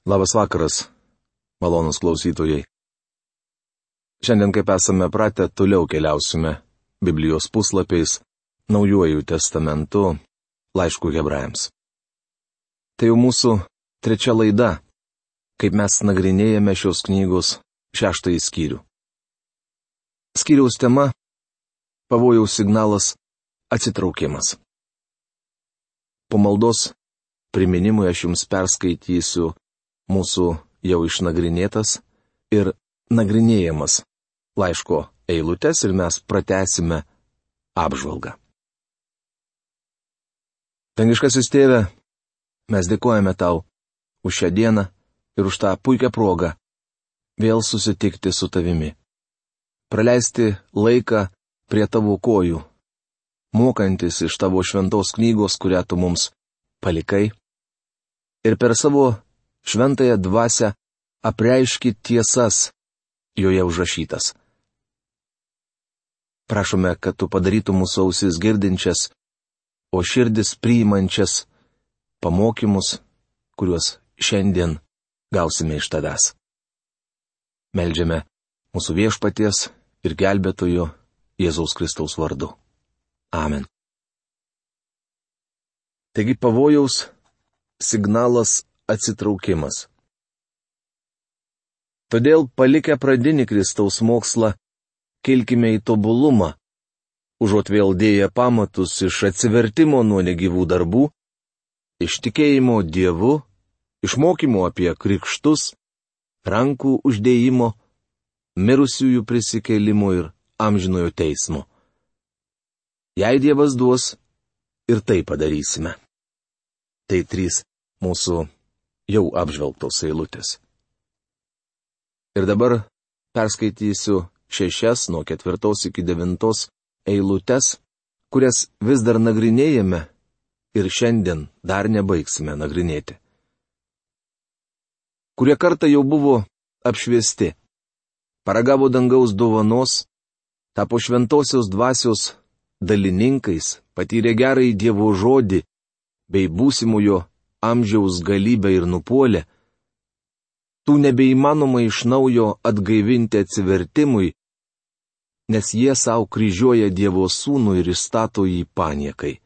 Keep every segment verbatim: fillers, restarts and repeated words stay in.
Labas vakaras, malonus klausytojai. Šiandien, kaip esame pratę, toliau keliausime Biblijos puslapiais, Naujuoju testamentu, laišku Hebrajams. Tai jau mūsų trečia laida, kaip mes nagrinėjame šios knygos šeštąjį skyrių. Skyriaus tema - pavojaus signalas - atsitraukimas. Po maldos priminimui aš jums perskaitysiu mūsų jau išnagrinėtas ir nagrinėjamas laiško eilutes ir mes pratęsime apžvalgą. Dangiškasis Tėve, mes dėkojame Tau už šią dieną ir už tą puikią progą vėl susitikti su Tavimi. Praleisti laiką prie Tavo kojų, mokantis iš Tavo šventos knygos, kurią Tu mums palikai, ir per savo šventąją dvasią apreiški tiesas joje užrašytas. Prašome, kad Tu padarytum mūsų ausis girdinčias, o širdis priimančias pamokymus, kuriuos šiandien gausime iš Tavęs. Meldžiame mūsų Viešpaties ir Gelbėtojo Jėzaus Kristaus vardu. Amen. Taigi pavojaus signalas atsitraukimas. Todėl palikę pradinį Kristaus mokslą, kilkime į tobulumą, užuot vėl dėję pamatus iš atsivertimo nuo negyvų darbų, iš tikėjimo Dievu, iš mokymo apie krikštus, rankų uždėjimo, mirusiųjų prisikėlimo ir amžinojo teismo. Jei Dievas duos, ir tai padarysime. Tai trys mūsų jau apžvelgtos eilutės. Ir dabar perskaitysiu šešias nuo ketvirtos iki devintos eilutes, kurias vis dar nagrinėjame ir šiandien dar nebaigsime nagrinėti. Kurie kartą jau buvo apšviesti, paragavo dangaus dovanos, tapo šventosios dvasios dalininkais, patyrė gerąjį Dievo žodį bei būsimojo amžiaus galybę ir nupuolė, tų nebeįmanoma iš naujo atgaivinti atsivertimui, nes jie savo kryžiuoja Dievo sūnų ir įstato jį paniekai.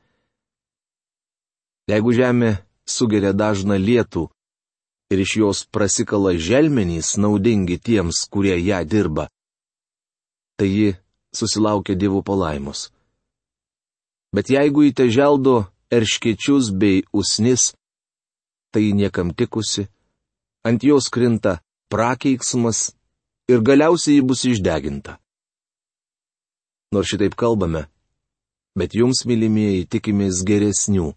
Jeigu žemė sugeria dažną lietų ir iš jos prasikala želmenys naudingi tiems, kurie ją dirba, tai ji susilaukia Dievo palaimos. Bet jeigu įte želdo erškėčius bei usnis, tai niekam tikusi, ant jos krinta prakeiksmas ir galiausiai ji bus išdeginta. Nors šitaip kalbame, bet jums, mylimieji, tikimės geresnių,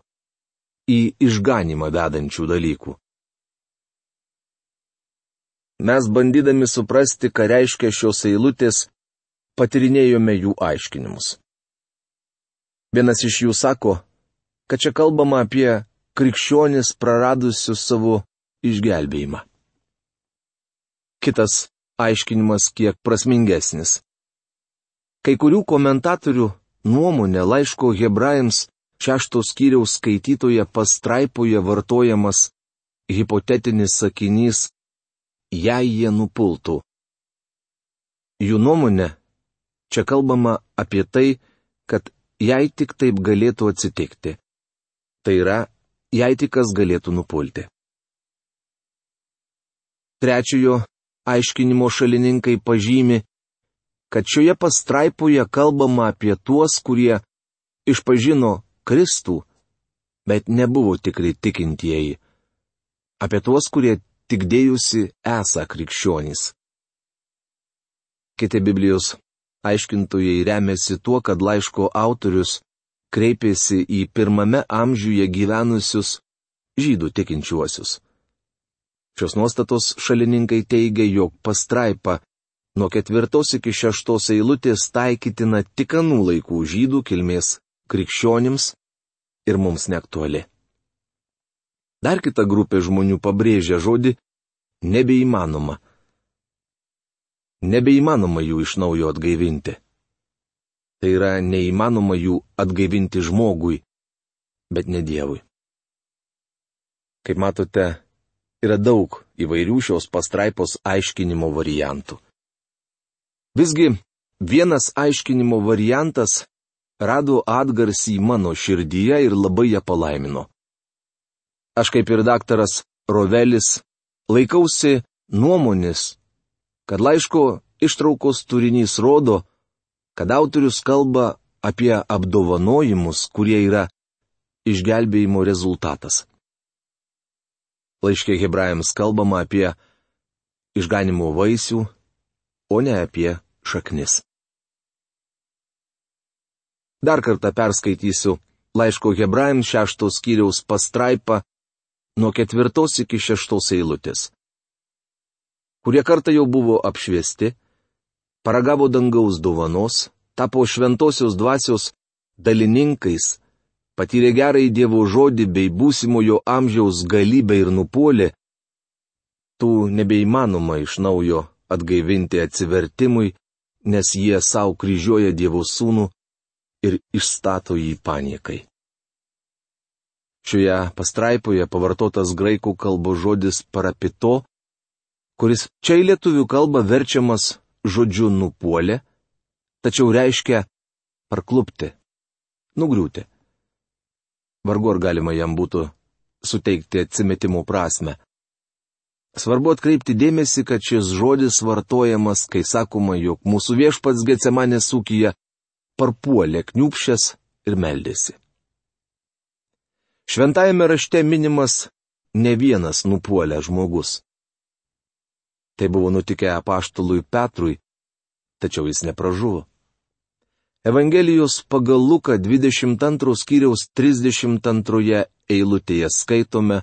į išganimą vedančių dalykų. Mes bandydami suprasti, ką reiškia šios eilutės, patyrinėjome jų aiškinimus. Vienas iš jų sako, kad čia kalbama apie krikščionis praradusius savo išgelbėjimą. Kitas aiškinimas kiek prasmingesnis. Kai kurių komentatorių nuomonė laiško Hebrajams šešto skyriaus skaitytoje pastraipoje vartojamas hipotetinis sakinys "jei jie nupultų". Jų nuomonė, čia kalbama apie tai, kad jei tik taip galėtų atsitikti. Tai yra, jei tik kas galėtų nupulti. Trečiojo aiškinimo šalininkai pažymi, kad šioje pastraipoje kalbama apie tuos, kurie išpažino Kristų, bet nebuvo tikri tikintieji. Apie tuos, kurie tik dėjusi esą krikščionys. Kiti Biblijos aiškintojai remiasi tuo, kad laiško autorius kreipėsi į pirmame amžiuje gyvenusius žydų tikinčiuosius. Šios nuostatos šalininkai teigia, jog pastraipa nuo ketvirtos iki šeštos eilutės taikytina tik anų laikų žydų kilmės krikščionims ir mums neaktuali. Dar kita grupė žmonių pabrėžia žodį nebeįmanoma. Nebeįmanoma jų iš naujo atgaivinti. Tai yra neįmanoma jų atgaivinti žmogui, bet ne Dievui. Kaip matote, yra daug įvairių šios pastraipos aiškinimo variantų. Visgi vienas aiškinimo variantas rado atgarsį mano širdyje ir labai ją palaimino. Aš kaip ir daktaras Rovelis laikausi nuomonės, kad laiško ištraukos turinys rodo, kad autorius kalba apie apdovanojimus, kurie yra išgelbėjimo rezultatas. Laiške Hebrajams kalbama apie išganimo vaisių, o ne apie šaknis. Dar kartą perskaitysiu laiško Hebrajams šeštos skyriaus pastraipą nuo ketvirtos iki šeštos eilutės. Kurie kartą jau buvo apšviesti, paragavo dangaus dovanos, tapo šventosios dvasios dalininkais, patyrė gerąjį Dievo žodį bei būsimojo amžiaus galybę ir nupuolė, tų nebeįmanoma iš naujo atgaivinti atsivertimui, nes jie savo kryžiuoja Dievo sūnų ir išstato jį paniekai. Šioje pastraipoje pavartotas graikų kalbos žodis parapito, kuris čia į lietuvių kalbą verčiamas žodžiu nupuolė, tačiau reiškia parklupti, nugriūti. Vargu ar galima jam būtų suteikti atsimetimo prasme. Svarbu atkreipti dėmesį, kad šis žodis vartojamas, kai sakoma, jog mūsų viešpats Getsemanės ūkyje parpuolė kniūpšęs ir meldėsi. Šventajame rašte minimas ne vienas nupuolęs žmogus. Tai buvo nutikę apaštalui Petrui, tačiau jis nepražuvo. Evangelijos pagal Luką dvidešimt antros skyriaus trisdešimt antroje eilutėje skaitome,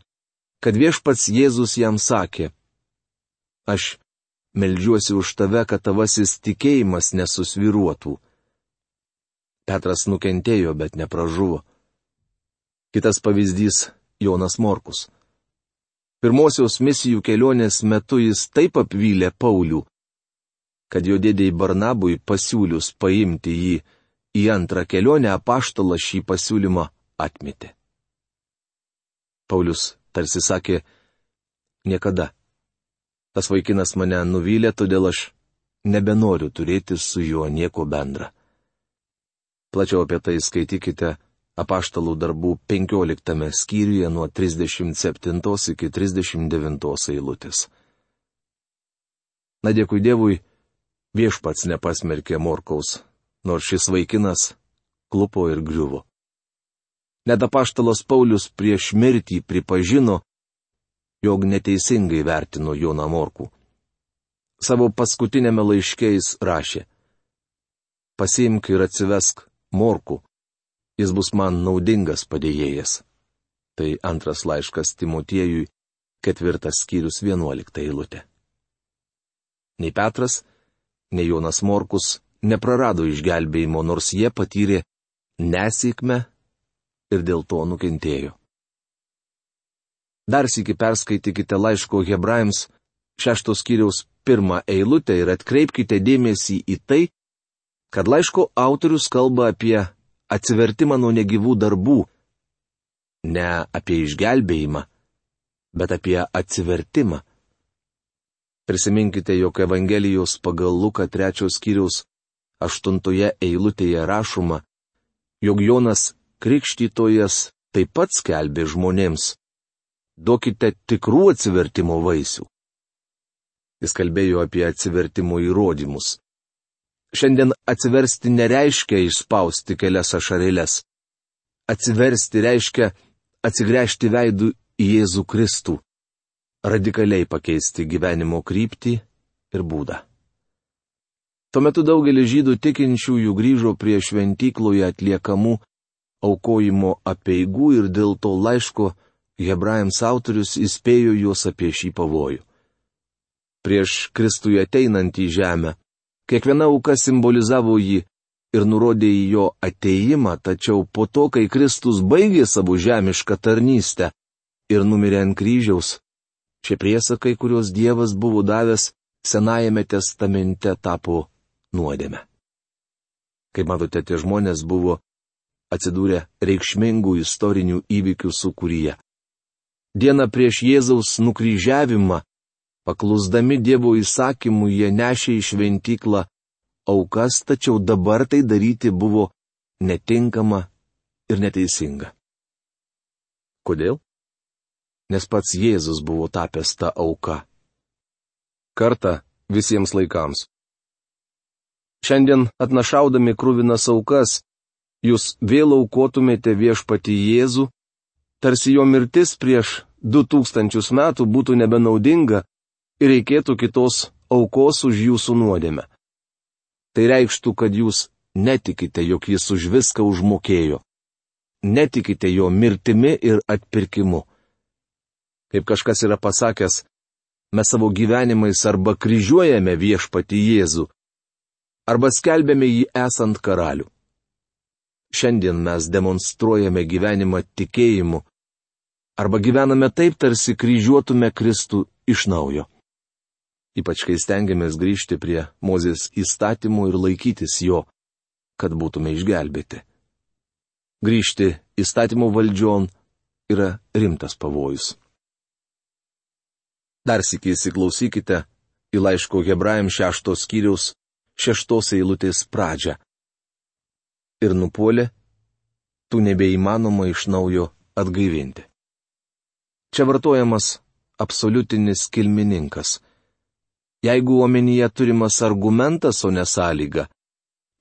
kad viešpats Jėzus jam sakė: Aš meldžiuosi už tave, kad tavasis tikėjimas nesusvyruotų. Petras nukentėjo, bet nepražuvo. Kitas pavyzdys - Jonas Morkus. Pirmosios misijų kelionės metu jis taip apvylė Paulių, kad jo dėdei Barnabui pasiūlius paimti jį į antrą kelionę, apaštalas šį pasiūlymą atmetė. Paulius tarsi sakė: niekada. Tas vaikinas mane nuvylė, todėl aš nebenoriu turėti su juo nieko bendra. Plačiau apie tai skaitykite Apaštalų darbų penkioliktame skyriuje nuo trisdešimt septintos iki trisdešimt devintos eilutės. Na dėkui Dievui, viešpats nepasmerkė Morkaus, nors šis vaikinas klupo ir griuvo. Net apaštalas Paulius prieš mirtį pripažino, jog neteisingai vertino Joną Morkų. Savo paskutinėme laiške jis rašė: Pasiimk ir atsivesk Morkų. Jis bus man naudingas padėjėjas. Tai antras laiškas Timotiejui, ketvirtas skyrius vienuolikta eilutė. Nei Petras, nei Jonas Morkus neprarado išgelbėjimo, nors jie patyrė nesėkmę ir dėl to nukentėjo. Dar sykį perskaitykite laiško Hebrajams šeštos skyriaus pirmą eilutę ir atkreipkite dėmesį į tai, kad laiško autorius kalba apie atsivertimą nuo negyvų darbų, ne apie išgelbėjimą, bet apie atsivertimą. Prisiminkite, jog Evangelijos pagal Luką trečios skyriaus aštuntoje eilutėje rašoma, jog Jonas Krikštytojas taip pat skelbė žmonėms: duokite tikrų atsivertimo vaisių. Jis kalbėjo apie atsivertimo įrodymus. Šiandien atsiversti nereiškia išspausti kelias ašarėles. Atsiversti reiškia atsigręžti veidų į Jėzų Kristų, radikaliai pakeisti gyvenimo kryptį ir būdą. Tuo metu daugelis žydų tikinčiųjų grįžo prie šventykloje atliekamų aukojimo apeigų ir dėl to laiško Hebrajams autorius įspėjo juos apie šį pavojų. Prieš Kristui ateinant į žemę, kiekviena auka simbolizavo jį ir nurodė į jo ateimą, tačiau po to, kai Kristus baigė savo žemišką tarnystę ir numirė ant kryžiaus, šie priesakai, kuriuos Dievas buvo davęs Senajame testamente, tapo nuodėme. Kaip matote, tie žmonės buvo atsidūrę reikšmingų istorinių įvykių sūkuryje. Dieną prieš Jėzaus nukryžiavimą Paklusdami Dievo įsakymų jie nešė į šventyklą aukas, tačiau dabar tai daryti buvo netinkama ir neteisinga. Kodėl? Nes pats Jėzus buvo tapęs ta auka. Kartą visiems laikams. Šiandien atnašaudami kruvinas aukas, jūs vėl aukotumėte viešpatį Jėzų, tarsi jo mirtis prieš du tūkstančius metų būtų nebenaudinga ir reikėtų kitos aukos už jūsų nuodėmę. Tai reikštų, kad jūs netikite, jog jis už viską užmokėjo. Netikite jo mirtimi ir atpirkimu. Kaip kažkas yra pasakęs, mes savo gyvenimais arba kryžiuojame viešpatį Jėzų, arba skelbėme jį esant karalių. Šiandien mes demonstruojame gyvenimą tikėjimu, arba gyvename taip, tarsi kryžiuotume Kristų iš naujo. Ypač kai stengiamės grįžti prie Mozės įstatymų ir laikytis jo, kad būtume išgelbėti. Grįžti įstatymų valdžion yra rimtas pavojus. Dar sykį įsiklausykite į laiško Hebrajams šeštos skyriaus šeštos eilutės pradžią. Ir nupuolė, tų nebeįmanoma iš naujo atgaivinti. Čia vartojamas absoliutinis kilmininkas. Jeigu omenyje turimas argumentas, o ne sąlyga,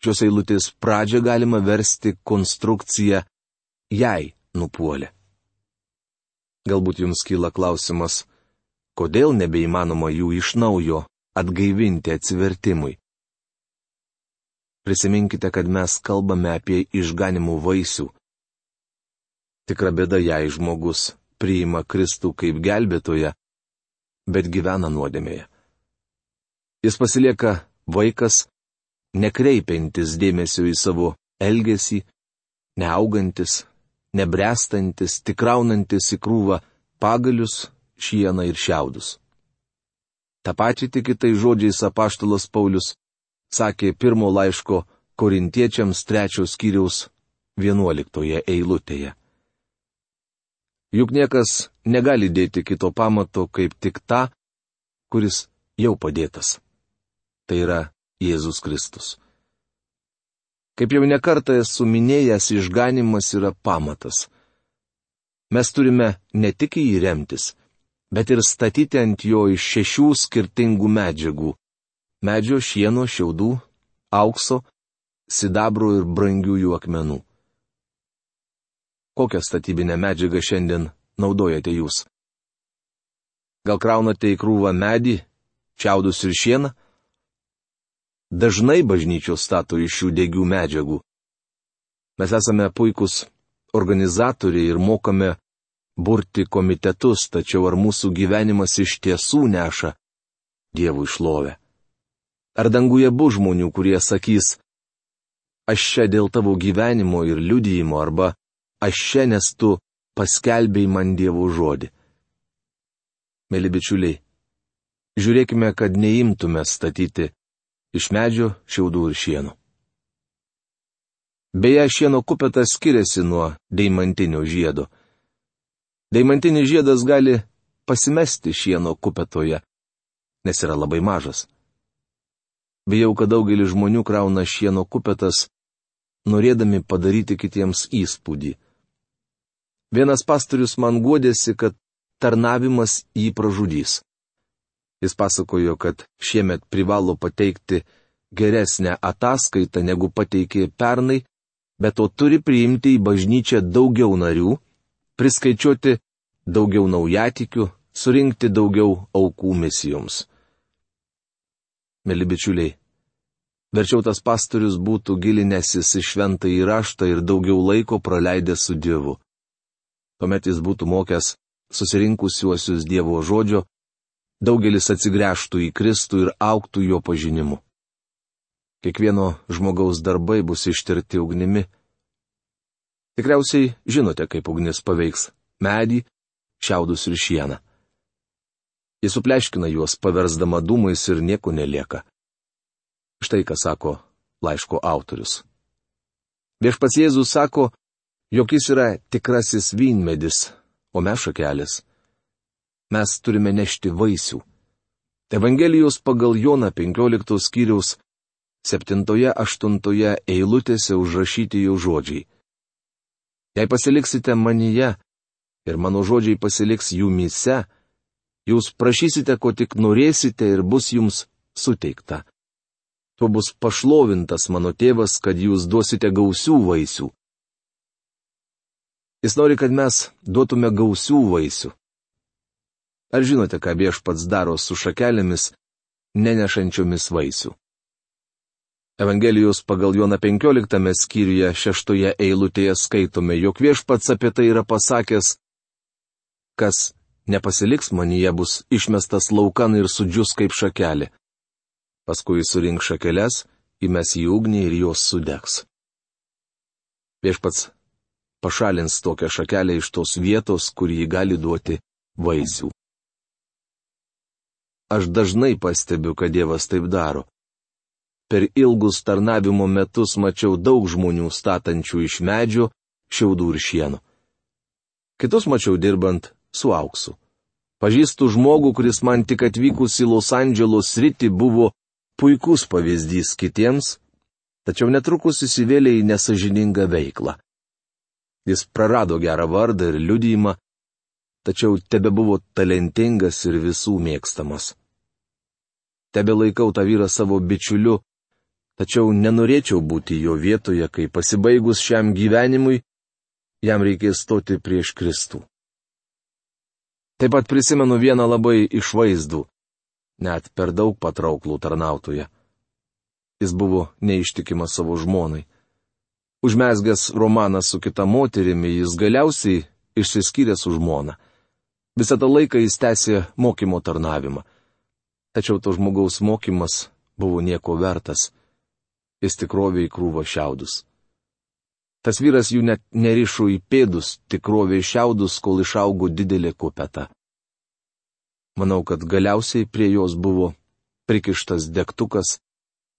šios eilutės pradžią galima versti konstrukciją jei nupuolė. Galbūt jums kyla klausimas, kodėl nebeįmanoma jų iš naujo atgaivinti atsivertimui. Prisiminkite, kad mes kalbame apie išganimų vaisių. Tikra bėda, jei žmogus priima Kristų kaip gelbėtoją, bet gyvena nuodėmėje. Jis pasilieka vaikas, nekreipiantis dėmesio į savo elgesį, neaugantis, nebręstantis, tikraunantis į krūvą pagalius, šieną ir šiaudus. Ta pačia tik kitais žodžiais apaštalas Paulius sakė pirmo laiško Korintiečiams trečios skyriaus vienuoliktoje eilutėje. Juk niekas negali dėti kito pamato kaip tik tą, kuris jau padėtas. Tai yra Jėzus Kristus. Kaip jau nekartą esu minėjęs, išganimas yra pamatas. Mes turime ne tik į jį remtis, bet ir statyti ant jo iš šešių skirtingų medžiagų - medžio, šieno, šiaudų, aukso, sidabro ir brangiųjų akmenų. Kokią statybinę medžiagą šiandien naudojate jūs? Gal kraunate į krūvą medį, šiaudus ir šieną? Dažnai bažnyčios stato iš šių degių medžiagų. Mes esame puikūs organizatoriai ir mokame burti komitetus, tačiau ar mūsų gyvenimas iš tiesų neša Dievui šlovę? Ar danguje bus žmonių, kurie sakys, aš čia dėl tavo gyvenimo ir liudijimo, arba aš čia, nes tu paskelbėjai man Dievo žodį? Mėly bičiuliai, žiūrėkime, kad neimtume statyti iš medžio, šiaudų ir šieno. Beje, šieno kupetas skiriasi nuo deimantinio žiedo. Deimantinis žiedas gali pasimesti šieno kupetoje, nes yra labai mažas. Bijau, kad daugelis žmonių krauna šieno kupetas, norėdami padaryti kitiems įspūdį. Vienas pastorius man guodėsi, kad tarnavimas jį pražudys. Jis pasakojo, kad šiemet privalo pateikti geresnę ataskaitą negu pateikė pernai, bet to turi priimti į bažnyčią daugiau narių, priskaičiuoti daugiau naujatikių, surinkti daugiau aukų misijoms. Mėly bičiuliai, verčiau tas pastorius būtų gilinęsis į šventąjį raštą ir daugiau laiko praleidęs su Dievu. Tuomet jis būtų mokęs susirinkusiuosius Dievo žodžio, daugelis atsigręžtų į Kristų ir augtų jo pažinimu. Kiekvieno žmogaus darbai bus ištirti ugnimi. Tikriausiai žinote, kaip ugnis paveiks medį, šiaudus ir šieną. Jis supleškina juos, paversdama dūmais ir nieko nelieka. Štai ką sako laiško autorius. Viešpats Jėzus sako, jog jis yra tikrasis vynmedis, o mes šakelės. Mes turime nešti vaisių. Evangelijos pagal Joną penkioliktos skyriaus septintoje aštuntoje eilutėse užrašyti jo žodžiai. Jei pasiliksite manyje ir mano žodžiai pasiliks jumyse, jūs prašysite, ko tik norėsite ir bus jums suteikta. Tuo bus pašlovintas mano tėvas, kad jūs duosite gausių vaisių. Jis nori, kad mes duotume gausių vaisių. Ar žinote, ką Viešpats daro su šakelėmis, nenešančiomis vaisių? Evangelijos pagal Joną penkioliktame skyriuje šeštoje eilutėje skaitome, jog Viešpats apie tai yra pasakęs, kas nepasiliks manyje bus išmestas laukan ir sudžius kaip šakelė. Paskui surink šakeles, įmes į ugnį ir jos sudegs. Viešpats pašalins tokią šakelę iš tos vietos, kur ji gali duoti vaisių. Aš dažnai pastebiu, kad Dievas taip daro. Per ilgus tarnavimo metus mačiau daug žmonių statančių iš medžio, šiaudų ir šieno. Kitus mačiau dirbant su auksu. Pažįstu žmogų, kuris man tik atvykus į Los Andželo sritį buvo puikus pavyzdys kitiems, tačiau netrukus įsivėlė į nesažiningą veiklą. Jis prarado gerą vardą ir liudijimą, tačiau tebebuvo talentingas ir visų mėgstamas. Tebe laikau tą vyrą savo bičiuliu, tačiau nenorėčiau būti jo vietoje, kai pasibaigus šiam gyvenimui, jam reikės stoti prieš Kristų. Taip pat prisimenu vieną labai išvaizdų, net per daug patrauklų tarnautoją. Jis buvo neištikimas savo žmonai. Užmezgęs romaną su kita moterimi, jis galiausiai išsiskyrė su žmona. Visą tą laiką jis tęsė mokymo tarnavimą. Tačiau to žmogaus mokymas buvo nieko vertas. Jis tikrovė į krūvą šiaudus. Tas vyras jų net nerišo į pėdus, tikrovė į šiaudus, kol išaugo didelė kupeta. Manau, kad galiausiai prie jos buvo prikištas degtukas,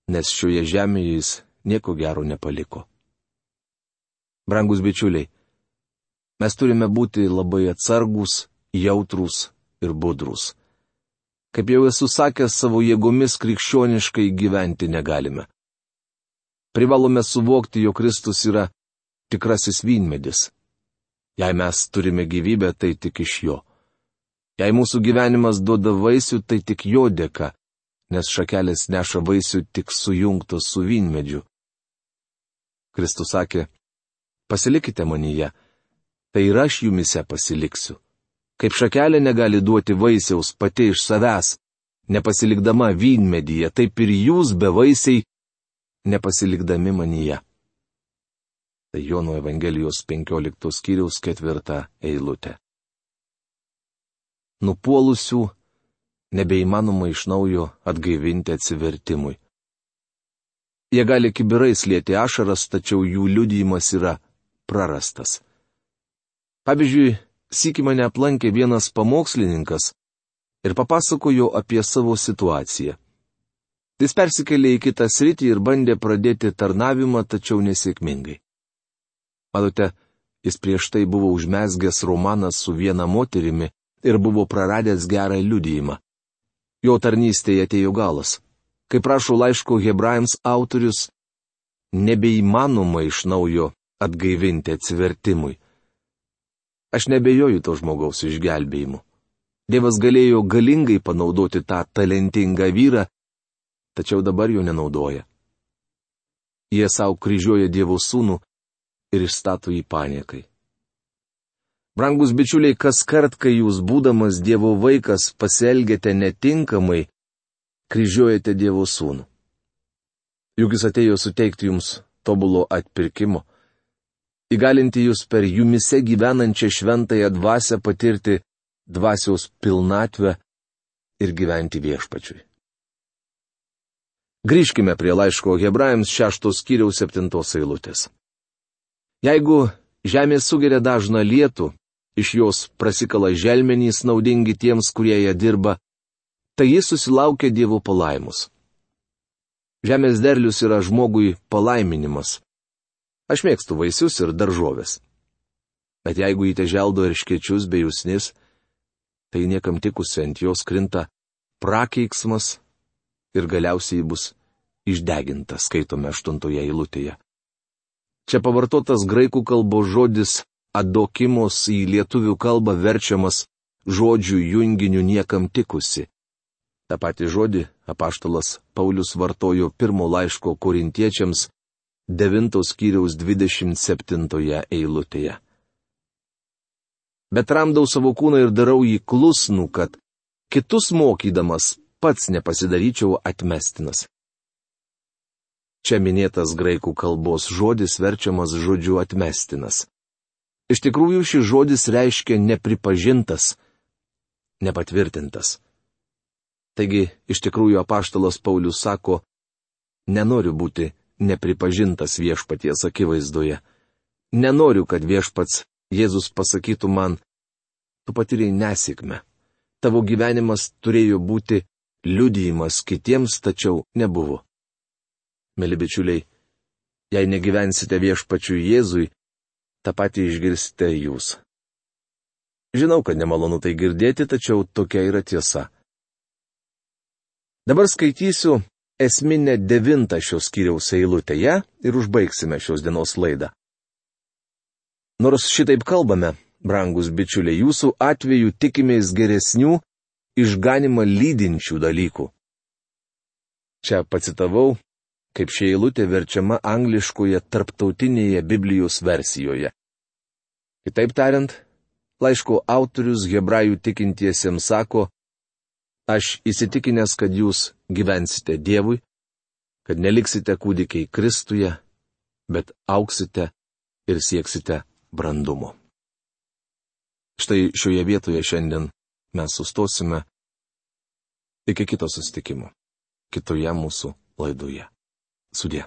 nes šioje žemėje jis nieko gero nepaliko. Brangus bičiuliai, mes turime būti labai atsargūs, jautrūs ir budrūs. Kaip jau esu sakęs, savo jėgomis krikščioniškai gyventi negalime. Privalome suvokti, jog Kristus yra tikrasis vynmedis. Jei mes turime gyvybę, tai tik iš jo. Jei mūsų gyvenimas duoda vaisių, tai tik jo dėka, nes šakelės neša vaisių tik sujungtos su vynmedžiu. Kristus sakė, pasilikite manyje, tai ir aš jumise pasiliksiu. Kaip šakelė negali duoti vaisiaus pati iš savęs, nepasilikdama vynmedyje, taip ir jūs bevaisiai, nepasilikdami manyje. Tai Jono Evangelijos penkioliktos skyriaus ketvirta eilutė. Nupuolusių nebeįmanoma iš naujo atgaivinti atsivertimui. Jie gali kibirais lieti ašaras, tačiau jų liudijimas yra prarastas. Pavyzdžiui, sykį mane aplankė vienas pamokslininkas ir papasakojo apie savo situaciją. Jis persikėlė į kitą sritį ir bandė pradėti tarnavimą, tačiau nesėkmingai. Matote, jis prieš tai buvo užmezgęs romaną su viena moterimi ir buvo praradęs gerą liudijimą. Jo tarnystėje atėjo galas. Kaip rašo laiško Hebrajams autorius, nebeįmanoma iš naujo atgaivinti atsivertimui. Aš nebejoju to žmogaus išgelbėjimu. Dievas galėjo galingai panaudoti tą talentingą vyrą, tačiau dabar jo nenaudoja. Jie savo kryžiuoja Dievo sūnų ir išstato jį paniekai. Brangus bičiuliai, kas kart, kai jūs būdamas Dievo vaikas pasielgiate netinkamai, kryžiuojate Dievo sūnų. Juk jis atėjo suteikti jums tobulo atpirkimo, įgalinti jūs per jumise gyvenančią šventąją dvasią patirti dvasios pilnatvę ir gyventi viešpačiui. Grįžkime prie laiško Hebrajams šeštos skyriaus septintos eilutės. Jeigu žemė sugeria dažną lietų, iš jos prasikala želmenys naudingi tiems, kurie ją dirba, tai jis susilaukia Dievo palaimus. Žemės derlius yra žmogui palaiminimas. Aš mėgstu vaisius ir daržovės. Bet jeigu įte želdo erškėčius bei usnis, tai niekam tikusi ant jos krinta prakeiksmas ir galiausiai bus išdeginta, skaitome aštuntoje eilutėje. Čia pavartotas graikų kalbos žodis adokimos į lietuvių kalbą verčiamas žodžių junginiu niekam tikusi. Ta pati žodį apaštalas Paulius vartojo pirmo laiško korintiečiams devintos skyriaus dvidešimt septintoje eilutėje. Bet ramdau savo kūną ir darau jį klusnų, kad kitus mokydamas pats nepasidaryčiau atmestinas. Čia minėtas graikų kalbos žodis verčiamas žodžiu atmestinas. Iš tikrųjų šis žodis reiškia nepripažintas, nepatvirtintas. Taigi, iš tikrųjų apaštalas Paulius sako, nenoriu būti nepripažintas viešpaties akivaizdoje. Nenoriu, kad viešpats Jėzus pasakytų man, tu patyrei nesėkmę. Tavo gyvenimas turėjo būti liudijimas kitiems, tačiau nebuvo. Mėly bičiuliai, jei negyvensite viešpačiui Jėzui, tą patį išgirsite jūs. Žinau, kad nemalonu tai girdėti, tačiau tokia yra tiesa. Dabar skaitysiu esminę devintą šios skyriaus eilutėje ir užbaigsime šios dienos laidą. Nors šitaip kalbame, brangus bičiuliai, jūsų atveju tikimės geresnių, išganimą lydinčių dalykų. Čia pacitavau, kaip ši eilutė verčiama angliškoje tarptautinėje Biblijos versijoje. Kitaip tariant, laiško autorius hebrajų tikintiesiems sako, aš įsitikinęs, kad jūs gyvensite Dievui, kad neliksite kūdikiai Kristuje, bet auksite ir sieksite brandumo. Štai šioje vietoje šiandien mes sustosime iki kito susitikimo, kitoje mūsų laidoje. Sudie.